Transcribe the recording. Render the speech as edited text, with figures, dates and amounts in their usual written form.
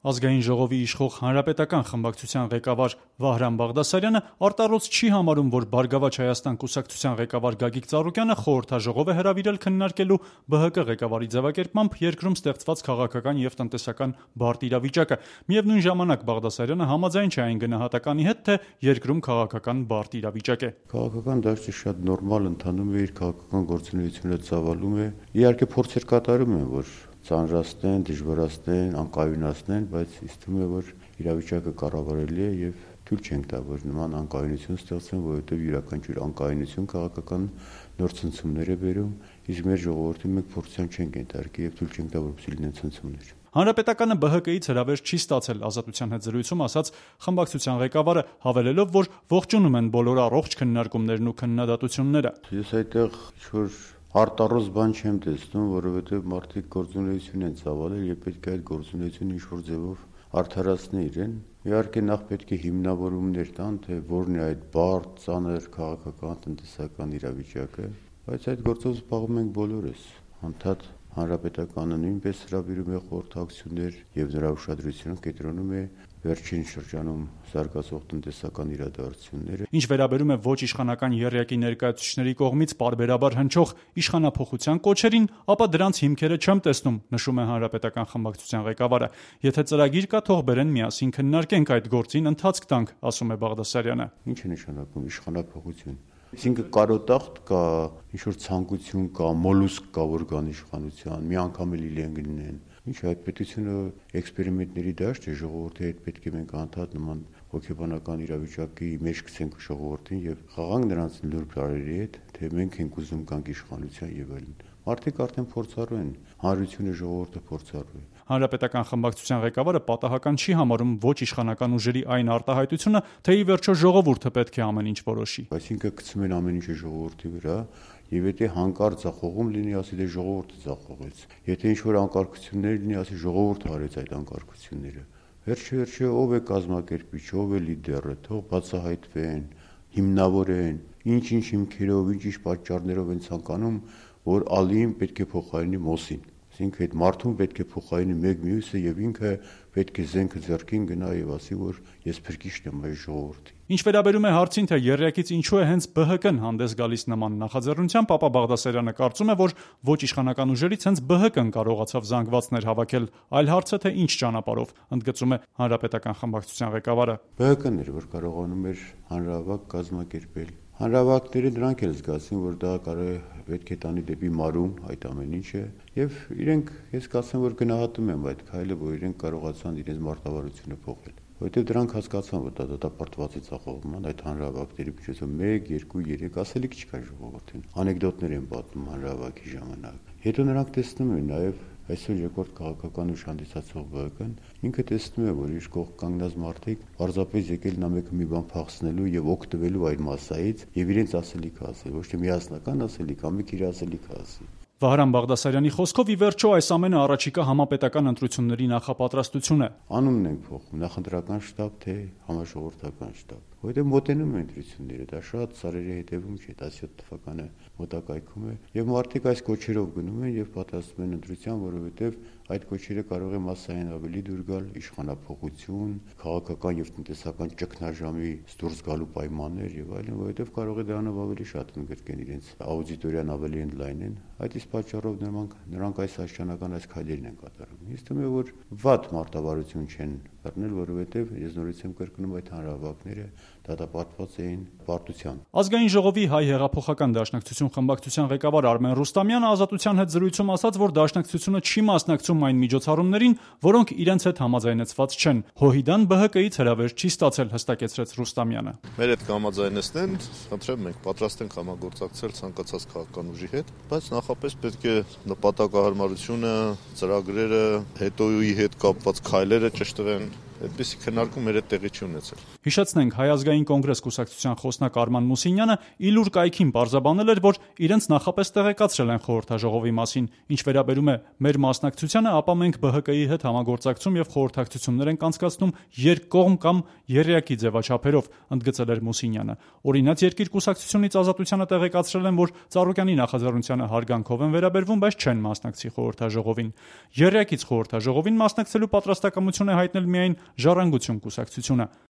Ազգային ժողովի իշխող Հանրապետական խմբակցության ղեկավար Վահրամ Բաղդասարյանը արտառոց չի համարում, որ Բարգավաճ Հայաստան կուսակցության ղեկավար Գագիկ Ծառուկյանը խորհրդաժողով է հրավիրել քննարկելու ԲՀԿ ղեկավարի ձևակերպմամբ երկրում ստեղծված քաղաքական եւ տնտեսական բարդ իրավիճակը։ Միևնույն ժամանակ Բաղդասարյանը համաձայն չէ այն գնահատականի հետ, թե երկրում քաղաքական բարդ իրավիճակ է։ Քաղաքական դաշտը շատ նորմալ ընթանում է, իր քաղաքական գործունեությունը ծավալում է։ Իհարկե փորձեր կատարում են, որ ծանրացնեն, դժվարացնեն, անկայունացնեն, բայց ինձ թվում է, որ իրավիճակը կառավարելի է եւ թույլ չենք տա, որ նման անկայունություն ստեղծեն, որովհետեւ յուրաքանչյուր անկայունություն քաղաքական նոր ցնցումներ է բերում, իսկ մեր ժողովրդին մենք փորձան չենք ենթարկի եւ թույլ չենք տա, որպեսզի լինեն ցնցումներ։ Հանրապետականը ԲՀԿ-ից հրավեր չի ստացել, Ազատության հետ զրույցում ասաց խմբակցության ղեկավարը, հավելելով, որ ողջունում են բոլոր առողջ քննարկումներն ու քննադատությունները։ Ես այդտեղ ինչ-որ արտառոց բան չեմ տեսնում, որովհետև մարդիկ գործունեություն են ծավալել եւ պետք է այդ գործունեությունը ինչ-որ ձևով արդարացնեն իրեն։ Իհարկե նախ պետք է հիմնավորումներ տան, թե որն է այդ բարդ, ծանր քաղաքական, տնտեսական իրավիճակը, բայց այդ գործով զբաղվում ենք բոլորս։ Անդադ Հանրապետականը նույնպես հրավիրում է խորհրդակցություններ եւ նրա ուշադրությունը կենտրոնում է վերջին շրջանում զարգացող տնտեսական իրադարձությունները։ Ինչ վերաբերում է ոչ իշխանական եռյակի ներկայացուցիչների կողմից պարբերաբար հնչող իշխանափոխության կոչերին, ապա դրանց հիմքերը չեմ տեսնում, նշում է Հանրապետական խմբակցության ղեկավարը։ Եթե ծրագիր կա, թող բերեն միասին քննարկենք այդ գործին, ընթացք տանք, ասում է Բաղդասարյանը։ Ինչ է նշանակում իշխանափոխություն։ Այսինքն կարոտախտ կա, ինչ-որ ցանկություն կա, մոլուսկ կա, որ կան իշխանության, մի անգամ էլ իրեն գնեն։ Ինչ այդ պետությունը էքսպերիմենտների դաշտ է, ժողովրդի հետ պետք է մենք անդադ նման հոգեբանական իրավիճակի մեջ գցենք ժողովրդին եւ խաղանք նրանց նուրբ տարերի հետ, թե մենք ենք ուզում կանք իշխանության եւ այլն։ Մարդիկ արդեն փորձառու են, հանրությունը ժողովուրդը փորձառու է։ Հանրապետական խմբակցության ղեկավարը պատահական չի համարում ոչ իշխանական ուժերի այն արտահայտությունը, թե ի վերջո ժողովուրդը պետք է ամեն ինչ որոշի։ Այսինքն գցում են ամեն ինչը ժողովրդի վրա, եւ եթե հանկարծ ձախողում լինի, ասի դե ժողովուրդը ձախողեց։ Եթե ինչ-որ անկարգություններ լինի, ասի ժողովուրդը արեց այդ անկարգությունները։ Վերջը ով է կազմակերպիչ, ով է լիդերը, թող բացահայտվեն, հիմնավորեն, ինչ-ինչ հիմքերով, ինչ-ինչ պատճառներով են ցանկանում, որ ալին պետք է փոխարինի մոսին։ Այսինքն այդ մարդուն պետք է փոխարինի մեկ մյուսը եւ ինքը պետք է զենքը ձեռքին գնա եւ ասի, որ ես փրկիչն եմ այս ժողովրդի։ Ինչ վերաբերում է հարցին, թե եռյակից ինչու է հենց ԲՀԿ-ն հանդես գալիս նման նախաձեռնությամբ, ապա Բաղդասարյանը կարծում է, որ ոչ իշխանական ուժերից հենց ԲՀԿ-ն կարողացավ զանգվածներ հավաքել, այլ հարցը թե ինչ ճանապարհով, ընդգծում է Հանրապետական խմբակցության ղեկավարը։ ԲՀԿ-ն էր, որ կարողանում էր հանրահավաք կազմակերպել։ Հանրահավաքները դրանք էլ զգացին, որ դա կարող է պետք է տանի դեպի մարում այդ ամեն ինչը եւ իրենք ես կասեմ, որ գնահատում եմ այդ քայլը, որ իրենք կարողացան իրենց մարտավարությունը փոխել։ Որտեւ դրանք հասկացան, որ դա դատապարտված է ցախողման այդ հանրահավաքների միջոցով 1, 2, 3 ասելիք չկա ժողովրդին։ Անեկդոտներ են պատմում հանրահավաքի ժամանակ։ Հետո նրանք տեսնում են նաեւ այսօր երկրորդ քաղաքական ուժ հանդիսացող ԲՀԿ-ն ինքը տեսնում է, որ իր կողք կանգնած մարդիկ պարզապես եկել նա մեկը մի բան փախցնելու եւ օգտվելու այդ մասայից եւ իրենց ասելիքը ասել, ոչ թե միասնական ասելիք, ամիք իր ասելիքը ասի։ Վահրամ Բաղդասարյանի խոսքով ի վերջո այս ամենը առաջիկա համապետական ընտրությունների նախապատրաստություն է։ Անունն ենք փոխում, նախընտրական շտաբ թե համաժողովրդական շտաբ։ Որտեղ մոտենում են ընտրությունները, դա շատ սարերի հետևում չէ, 17 թվականը մոտակայքում է եւ մարդիկ այս կոչերով գնում են եւ պատրաստվում են ընտրության, որովհետեւ այդ կոչերը կարող է մասսային ավելի դուր գալ իշխանափոխություն, քաղաքական եւ տնտեսական ճգնաժամի դուրս գալու պայմաններ եւ այլն, որովհետեւ կարող է դրանով ավելի շատ ընդգրկեն իրենց աուդիտորիան ավելի ընդլայնեն։ Այդ իսկ պատճառով նրանք այս աշխանական այս քայլերն են կատարում։ Ես թվում է, որ վատ մարտավարություն չեն բռնել, որովհետեւ ես նորից եմ կրկնում այդ հանրահավաքները դատապարտված էին պարտությամբ։ Ազգային ժողովի հայ հեղափոխական դաշնակցություն խմբակցության ղեկավար Արմեն Ռուստամյանը Ազատության հետ զրույցում ասաց, որ դաշնակցությունը չի մասնակցում այն միջոցառումներին, որոնք իրենց հետ համաձայնեցված չեն։ ՀՅԴ-ն ԲՀԿ-ից հրավեր չի ստացել, հստակեցրեց Ռուստամյանը։ Մեր հետ կհամաձայնեցնեն, խնդրեմ մենք պատրաստ ենք համագործակցել ցանկացած քաղաքական ուժի հետ, բայց նախապես պետք է նպատակահարմարությունը, ծրագրերը, հետոյի հետ կապված քայլերը ճշտվեն, այդպիսի քննարկում մեր հետ տեղի չի ունեցել։ Հիշեցնենք, Հայ ազգային կոնգրես կուսակցության խոսնակ Արման Մուսինյանը իլուր կայքին պարզաբանել էր, որ իրենց նախապես տեղեկացրել են խորհրդաժողովի մասին։ Ինչ վերաբերում է մեր մասնակցությանը, ապա մենք ԲՀԿ-ի հետ համագործակցում եւ խորհրդակցություններ ենք անցկացնում երկկողմ կամ եռյակի ձևաչափերով, ընդգծել էր Մուսինյանը։ Օրինաց երկիր կուսակցությունից Ազատությանը տեղեկացրել են, որ Ծառուկյանի նախաձեռնությանը հարգանքով են վերաբերվում, բայց չեն մասնակցի խորհրդաժողովին։ Եռյակից խորհրդաժողովին մասնակցելու պատրաստակամություն է հայտնել միայն Ժառանգություն կուսակցությունը։